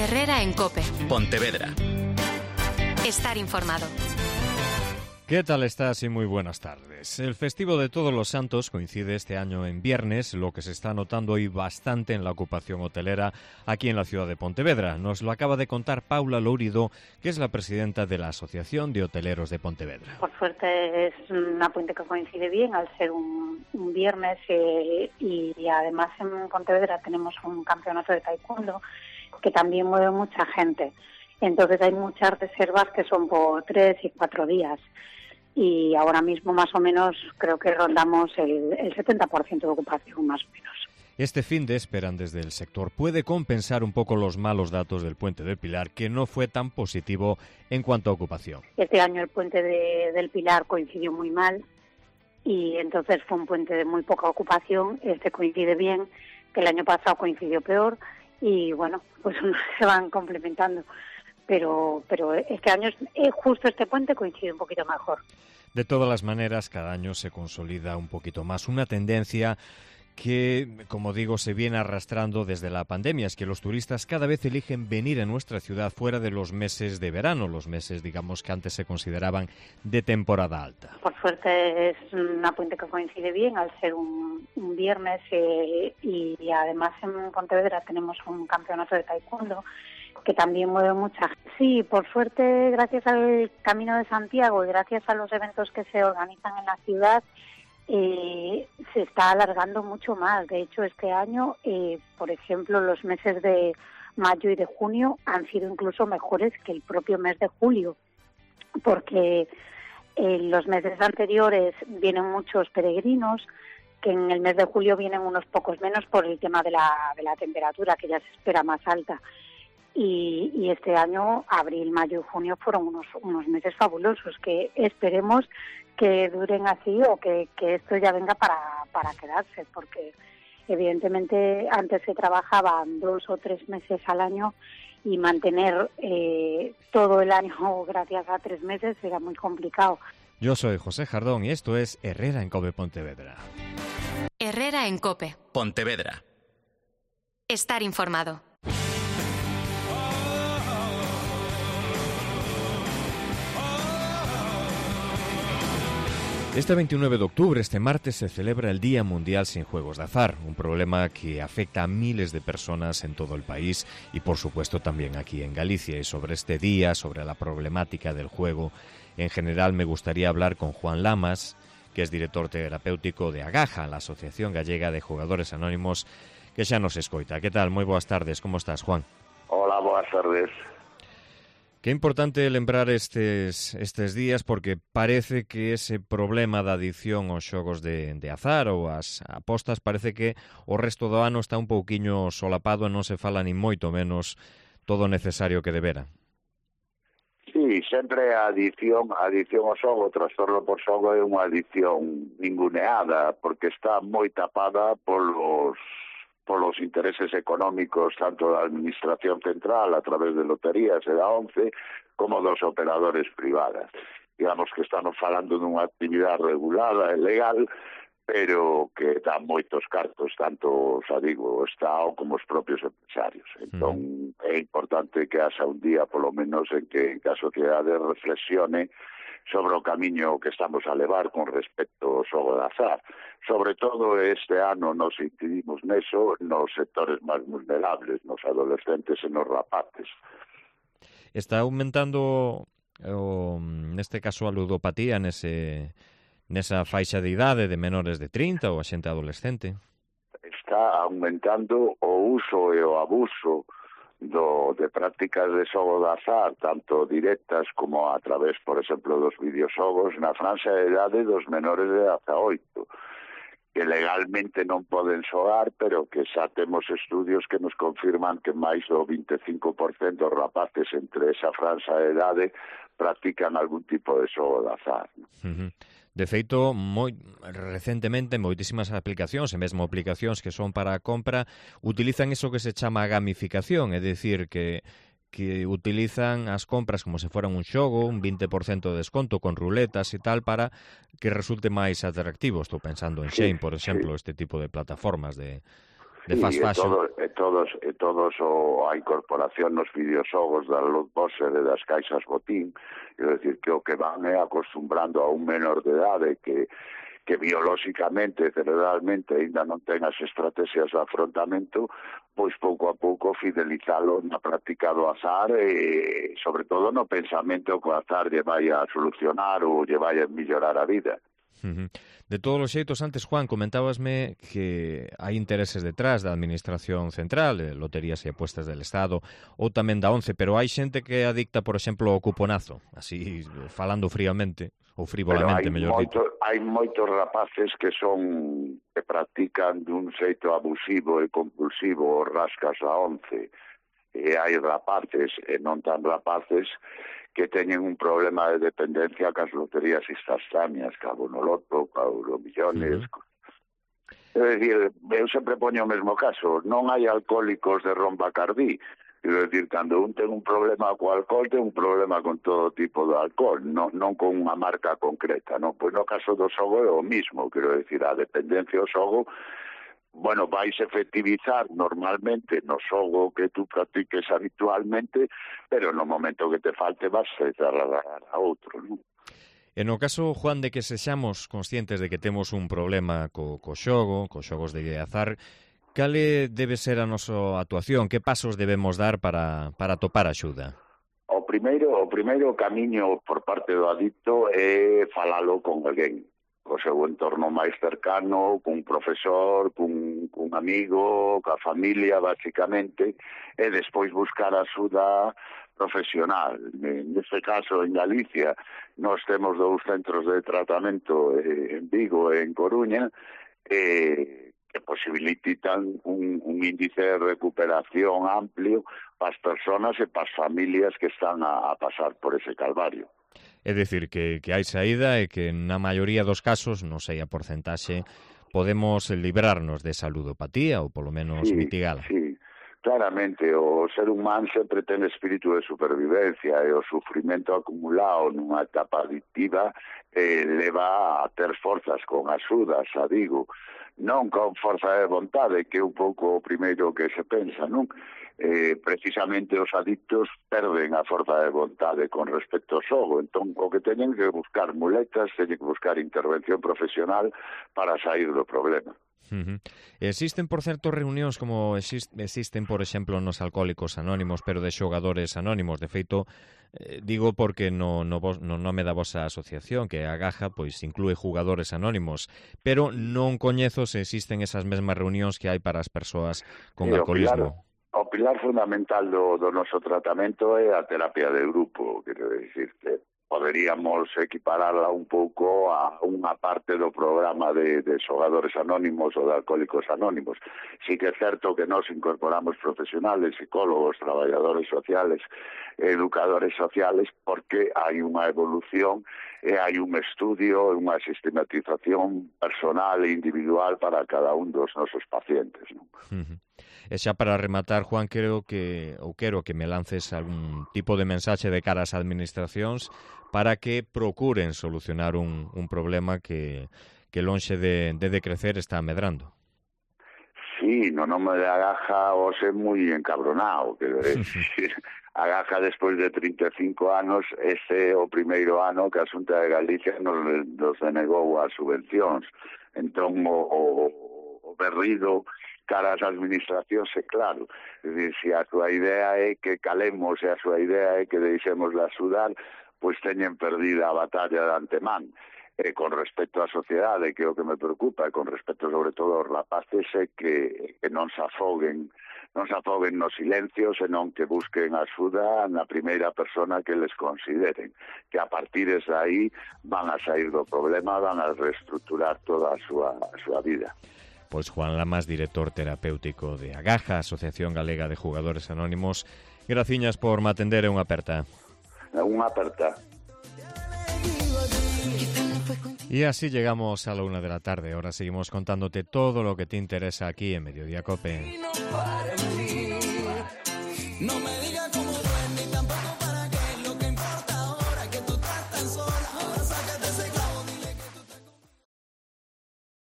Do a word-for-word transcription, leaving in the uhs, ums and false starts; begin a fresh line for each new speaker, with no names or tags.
Herrera en COPE.
Pontevedra.
Estar informado.
¿Qué tal estás? Y muy buenas tardes. El festivo de Todos los Santos coincide este año en viernes, lo que se está notando hoy bastante en la ocupación hotelera aquí en la ciudad de Pontevedra. Nos lo acaba de contar Paula Lourido, que es la presidenta de la Asociación de Hoteleros de Pontevedra.
Por suerte es una puente que coincide bien al ser un, un viernes eh, y, y además en Pontevedra tenemos un campeonato de taekwondo que también mueve mucha gente. Entonces hay muchas reservas que son por tres y cuatro días. Y ahora mismo más o menos creo que rondamos el, el setenta por ciento de ocupación, más o menos.
Este fin de esperan desde el sector puede compensar un poco los malos datos del Puente del Pilar, que no fue tan positivo en cuanto a ocupación.
Este año el Puente de, del Pilar coincidió muy mal y entonces fue un puente de muy poca ocupación. Este coincide bien, que el año pasado coincidió peor y bueno, pues se van complementando. Pero, pero este año, justo este puente coincide un poquito mejor.
De todas las maneras, cada año se consolida un poquito más una tendencia que, como digo, se viene arrastrando desde la pandemia. Es que los turistas cada vez eligen venir a nuestra ciudad fuera de los meses de verano, los meses, digamos, que antes se consideraban de temporada alta.
Por suerte es una puente que coincide bien al ser un, un viernes eh, y, y además en Pontevedra tenemos un campeonato de taekwondo que también mueve mucha gente. Sí, por suerte, gracias al Camino de Santiago y gracias a los eventos que se organizan en la ciudad, eh, se está alargando mucho más. De hecho, este año, eh, por ejemplo, los meses de mayo y de junio han sido incluso mejores que el propio mes de julio, porque en los meses anteriores vienen muchos peregrinos, que en el mes de julio vienen unos pocos menos por el tema de la, de la temperatura, que ya se espera más alta. Y, y este año, abril, mayo y junio fueron unos, unos meses fabulosos que esperemos que duren así o que, que esto ya venga para, para quedarse, porque evidentemente antes se trabajaban dos o tres meses al año y mantener eh, todo el año gracias a tres meses era muy complicado.
Yo soy José Jardón y esto es Herrera en COPE Pontevedra.
Herrera en COPE.
Pontevedra.
Estar informado.
Este veintinueve de octubre, este martes, se celebra el Día Mundial sin Juegos de Azar, un problema que afecta a miles de personas en todo el país y, por supuesto, también aquí en Galicia. Y sobre este día, sobre la problemática del juego, en general me gustaría hablar con Juan Lamas, que es director terapéutico de Agaja, la Asociación Gallega de Jugadores Anónimos, que xa nos escoita. Que tal? Moi boas tardes. Como estás, Juan?
Hola, boas tardes.
Que importante lembrar estes, estes días porque parece que ese problema da adicción aos xogos de, de azar ou as apostas parece que o resto do ano está un pouquiño solapado e non se fala ni moito menos todo o necesario que debera.
Sí, sempre a adicción, a adicción ao xogo, o trastorno por xogo é unha adicción ninguneada porque está moi tapada polos polos intereses económicos tanto da Administración Central a través de loterías e da ONCE como dos operadores privadas. Digamos que estamos falando dunha actividade regulada e legal, pero que dá moitos cartos, tanto, xa digo, o Estado como os propios empresarios. Entón, mm. é importante que haxa un día, polo menos, en que en caso que a de reflexione sobre o camiño que estamos a levar con respecto ao xogo de azar. Sobre todo este ano nos incidimos neso nos sectores máis vulnerables, nos adolescentes e nos rapaces.
Está aumentando, o, neste caso, a ludopatía nese, nesa faixa de idade de menores de trinta ou a xente adolescente?
Está aumentando o uso e o abuso do, de prácticas de xogo de azar, tanto directas como a través, por exemplo, dos videoxogos na franxa de idade dos menores de dezaoito, que legalmente non poden xogar, pero que xa temos estudios que nos confirman que máis do vinte e cinco por cento dos rapaces entre esa franxa de idade practican algún tipo de xogo de azar.
Uh-huh. De feito, moi recentemente, moitísimas aplicacións, e mesmo aplicacións que son para a compra, utilizan eso que se chama gamificación, é dicir, que que utilizan as compras como se foran un xogo, un vinte por cento de desconto con ruletas e tal, para que resulte máis atractivo. Estou pensando en Shein, por exemplo, sí. Este tipo de plataformas de, de fast fashion.
E todos, e todos o, a incorporación nos videoxogos da lootboxer e das caixas botín, quero dicir que o que van é acostumbrando a un menor de idade que que biolóxicamente, cerebralmente, ainda non ten as estrategias de afrontamento, pois pouco a pouco fidelizalo na práctica do azar e, sobre todo, no pensamento que o azar lle vai a solucionar ou lle vai a mellorar a vida.
Uh-huh. De todos os xeitos, antes, Juan, comentábasme que hai intereses detrás da Administración Central, de Loterías e Apuestas del Estado, ou tamén da ONCE, pero hai xente que adicta, por exemplo, ao cuponazo, así, falando fríamente, ou frivolamente, mellor
moito,
dito.
Hai moitos rapaces que son que practican dun xeito abusivo e compulsivo os rascas da ONCE, e hai rapaces e non tan rapaces que teñen un problema de dependencia cas loterías instantáneas, cabo no loto, cabo no millones. Uh-huh. É dicir, eu sempre poño o mesmo caso, non hai alcohólicos de Rombacardí. Quero dicir, cando un ten un problema co alcohol, ten un problema con todo tipo de alcohol, non, non con unha marca concreta, non? Pois no caso do xogo é o mismo, quero dicir, a dependencia ao xogo, bueno, vais efectivizar normalmente no xogo que tú practiques habitualmente, pero no momento que te falte vas a trasladar a outro, non?
E no caso, Juan, de que sexamos conscientes de que temos un problema co, co xogo, co xogos de azar, cale debe ser a nosa actuación? Que pasos debemos dar para, para topar axuda?
O primeiro, o primeiro camiño por parte do adicto é falalo con alguén, o seu entorno máis cercano, cun profesor, cun, cun amigo, ca familia, basicamente, e despois buscar axuda profesional. Neste caso, en Galicia, nós temos dous centros de tratamento en Vigo e en Coruña, e que posibilitan un, un índice de recuperación amplio para as persoas e para as familias que están a, a pasar por ese calvario.
É dicir, que, que hai saída e que na maioría dos casos, non sei a porcentaxe, podemos librarnos de esa ludopatía ou polo menos
sí,
mitigala.
Sí, claramente, o ser humano sempre ten espírito de supervivencia e o sufrimento acumulado nunha etapa adictiva eh, leva a ter forzas con axuda, xa digo, non con forza de vontade, que é un pouco o primeiro que se pensa, non? Eh, precisamente os adictos perden a forza de vontade con respecto ao xogo, entón o que teñen que buscar muletas, teñen que buscar intervención profesional para sair do problema.
Uh-huh. Existen, por certo, reunións como exist, existen, por exemplo, nos Alcohólicos Anónimos, pero de xogadores anónimos. De feito, eh, digo porque no, no, no nome da vosa asociación, que a Agaja, pois inclúe jugadores anónimos, pero non coñezo se existen esas mesmas reunións que hai para as persoas con
sí,
alcoholismo.
O pilar, o pilar fundamental do, do noso tratamento é a terapia de grupo, quero dicirte. Poderíamos equipararla un pouco a unha parte do programa de, de xogadores anónimos ou de alcohólicos anónimos. Sí que é certo que nos incorporamos profesionales, psicólogos, traballadores sociales, educadores sociales, porque hai unha evolución e hai un estudio e unha sistematización personal e individual para cada un dos nosos pacientes, non?
Uh-huh. E xa para rematar, Juan, creo que ou quero que me lances algún tipo de mensaxe de cara ás administracións para que procuren solucionar un, un problema que, que lonxe de, de decrecer está medrando.
Sí, no nome de Agaja o ser moi encabronado, quero decir, Agaja despois de trinta e cinco anos, ese é o primeiro ano que a Xunta de Galicia nos, nos denegou as subvencións. Entón, o, o, o berrido cara ás administracións é claro. É dicir, se a súa idea é que calemos e a súa idea é que deixemos de axudar, pois teñen perdida a batalla de antemán. E con respecto á sociedade, que é o que me preocupa, e con respecto sobre todo aos rapaces, é que, que non se afoguen, non se afoguen no silencio, senón que busquen axuda na primeira persona que les consideren, que a partir de aí van a sair do problema, van a reestructurar toda a súa, a súa vida.
Pois Juan Lamas, director terapéutico de Agaja, Asociación Galega de Jugadores Anónimos, graciñas por me atender e unha aperta.
Unha aperta.
Y así llegamos a la una de la tarde. Ahora seguimos contándote todo lo que te interesa aquí en Mediodía Cope.
No me digas